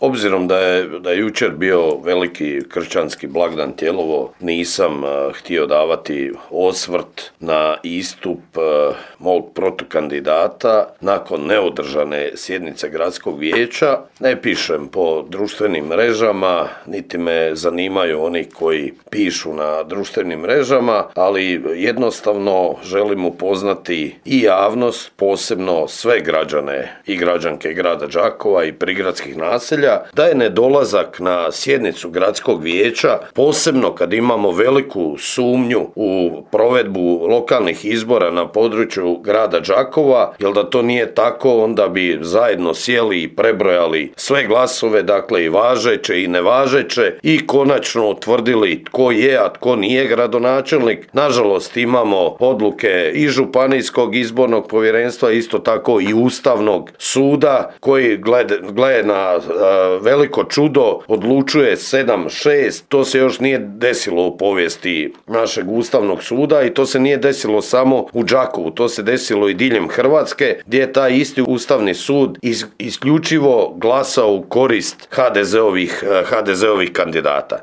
obzirom da je jučer bio veliki kršćanski blagdan Tijelovo, nisam htio davati osvrt na istup mog protukandidata nakon neodržane sjednice gradskog vijeća. Ne pišem po društvenim mrežama, niti me zanimaju oni koji pišu na društvenim mrežama, ali jednostavno želim upoznati i javnost, posebno sve građane i građanke grada Đakova i prigradskih naselja, da je nedolazak na sjednicu gradskog vijeća, posebno kad imamo veliku sumnju u provedbu lokalnih izbora na području grada Đakova, jer da to nije tako, onda bi zajedno sjeli i prebrojali sve glasove, dakle i važeće i nevažeće, i konačno utvrdili tko je, a tko nije gradonačelnik. Nažalost, imamo odluke i Županijskog izbornog povjerenstva, isto tako i Ustavnog suda, koji gleda na veliko čudo odlučuje 7-6. To se još nije desilo u povijesti našeg Ustavnog suda i to se nije desilo samo u Đakovu, to se desilo i diljem Hrvatske, gdje je taj isti Ustavni sud isključivo glasao u korist HDZ-ovih kandidata.